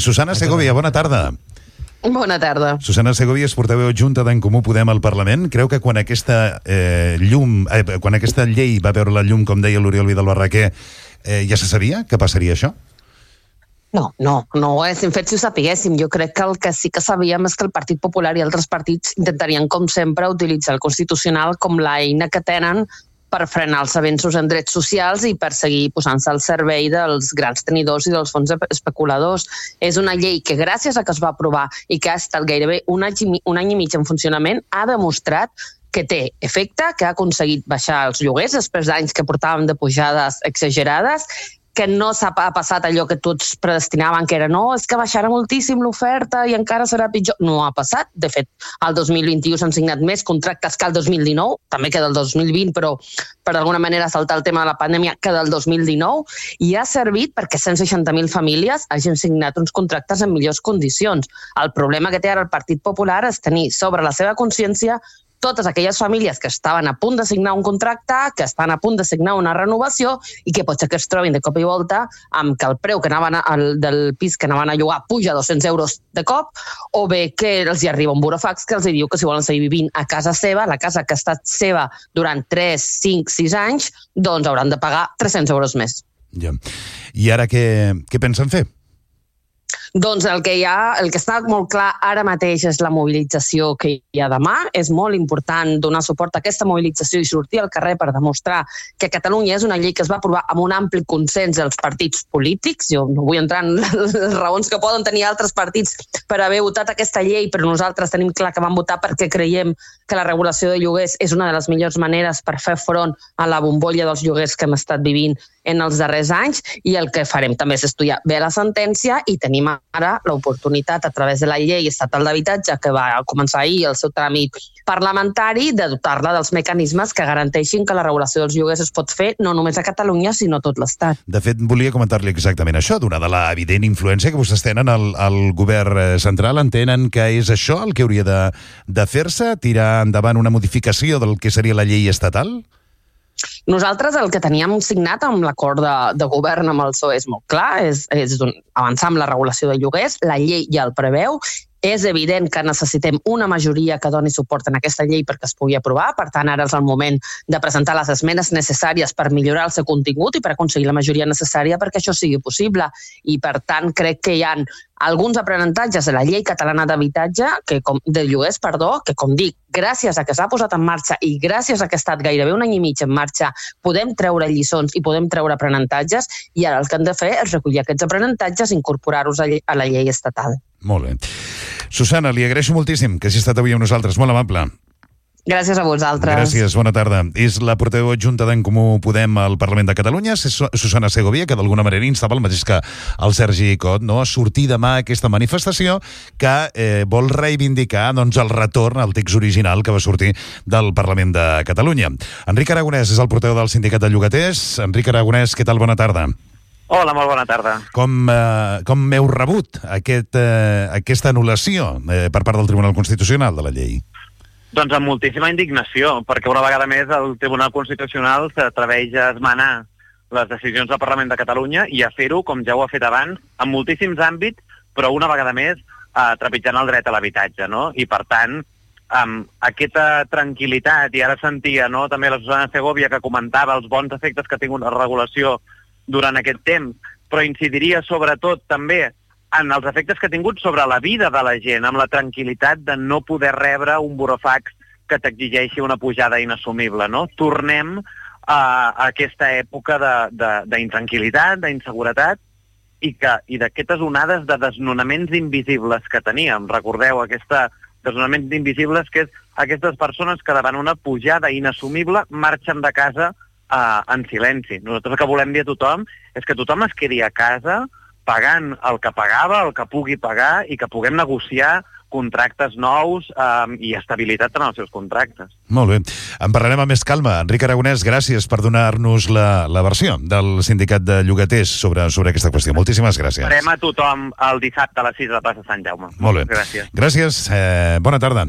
Susana Segovia, bona tarda. Bona tarda. Susana Segovia és portaveu adjunta d'en Comú Podem al Parlament. Creu que quan aquesta llei va veure la llum, com deia l'Oriol Vidal Barraquer, ja se sabia que passaria això? No ho haguéssim fet si ho sapiguéssim. Jo crec que el que sí que sabíem és que el Partit Popular i altres partits intentarien, com sempre, utilitzar el Constitucional com l'eina que tenen per frenar els avenços en drets socials i per seguir posant-se al servei dels grans tenidors i dels fons especuladors. És una llei que, gràcies a que es va aprovar i que ha estat gairebé un any i mig en funcionament, ha demostrat que té efecte, que ha aconseguit baixar els lloguers després d'anys que portàvem de pujades exagerades, que no s'ha passat allò que tots predestinaven, que era no, és que baixarà moltíssim l'oferta i encara serà pitjor. No ha passat. De fet, el 2021 s'han signat més contractes que el 2019, també que del 2020, però per d'alguna manera saltar el tema de la pandèmia que del 2019, i ha servit perquè 160.000 famílies hagin signat uns contractes en millors condicions. El problema que té ara el Partit Popular és tenir sobre la seva consciència totes aquelles famílies que estaven a punt de signar un contracte, que estan a punt de signar una renovació i que potser que es trobin de cop i volta amb que el preu que del pis que anaven a llogar puja 200 euros de cop, o bé que els hi arriba un burofax que els diu que si volen seguir vivint a casa seva, la casa que ha estat seva durant 3, 5, 6 anys, doncs hauran de pagar 300 euros més. Ja. I ara què pensen fer? Doncs el que està molt clar ara mateix és la mobilització que hi ha demà. És molt important donar suport a aquesta mobilització i sortir al carrer per demostrar que Catalunya és una llei que es va aprovar amb un ampli consens dels partits polítics. Jo no vull entrar en les raons que poden tenir altres partits per haver votat aquesta llei, però nosaltres tenim clar que vam votar perquè creiem que la regulació de lloguers és una de les millors maneres per fer front a la bombolla dels lloguers que hem estat vivint en els darrers anys, i el que farem també és estudiar bé la sentència i tenim ara l'oportunitat a través de la llei estatal d'habitatge que va començar ahir el seu tràmit parlamentari de dotar-la dels mecanismes que garanteixin que la regulació dels lloguers es pot fer no només a Catalunya sinó a tot l'Estat. De fet, volia comentar-li exactament això, donada l'evident influència que vostès tenen al govern central. Entenen que és això el que hauria de fer-se, tirar endavant una modificació del que seria la llei estatal? Nosaltres el que teníem signat amb l'acord de govern amb el PSOE és molt clar, és avançar amb la regulació de lloguers, la llei ja el preveu. És evident que necessitem una majoria que doni suport en aquesta llei perquè es pugui aprovar, per tant ara és el moment de presentar les esmenes necessàries per millorar el seu contingut i per aconseguir la majoria necessària perquè això sigui possible. I per tant crec que hi ha alguns aprenentatges de la llei catalana d'habitatge, de lloguers, que com dic, gràcies a que s'ha posat en marxa i gràcies a que ha estat gairebé un any i mig en marxa, podem treure lliçons i podem treure aprenentatges, i ara el que hem de fer és recollir aquests aprenentatges i incorporar-los a la llei estatal. Molt bé. Susana, li agraeixo moltíssim que hagi estat avui amb nosaltres, molt amable. Gràcies a vosaltres. Gràcies, bona tarda. És la portaveu adjunta d'en Comú Podem al Parlament de Catalunya, Susana Segovia, que d'alguna manera instava el mateix que el Sergi Cot, no? A sortir demà a aquesta manifestació que vol reivindicar el retorn al text original que va sortir del Parlament de Catalunya. Enric Aragonès és el portaveu del Sindicat de Llogaters. Enric Aragonès, què tal? Bona tarda. Hola, molt bona tarda. Com heu rebut aquesta anul·lació per part del Tribunal Constitucional de la llei? Doncs amb moltíssima indignació, perquè una vegada més el Tribunal Constitucional s'atreveix a esmenar les decisions del Parlament de Catalunya i a fer-ho, com ja ho ha fet abans, en moltíssims àmbits, però una vegada més trepitjant el dret a l'habitatge, no? I per tant, amb aquesta tranquil·litat, i ara sentia també la Susana Segovia que comentava els bons efectes que ha tingut la regulació durant aquest temps, però incidiria sobretot també en els efectes que ha tingut sobre la vida de la gent, amb la tranquil·litat de no poder rebre un burofax que t'exigeixi una pujada inassumible, no? Tornem a aquesta època d'intranquil·litat, d'inseguretat i d'aquestes onades de desnonaments invisibles que teníem. Recordeu aquests desnonaments invisibles, que és aquestes persones que davant una pujada inassumible marxen de casa en silenci. Nosaltres el que volem dir a tothom és que tothom es quedi a casa pagant el que pagava, el que pugui pagar, i que puguem negociar contractes nous i estabilitat en els seus contractes. Molt bé. En parlarem amb més calma. Enric Aragonès, gràcies per donar-nos la versió del Sindicat de Llogaters sobre aquesta qüestió. Moltíssimes gràcies. Farem a tothom el dissabte a les 6 de la plaça Sant Jaume. Molt bé. Gràcies. Gràcies. Bona tarda.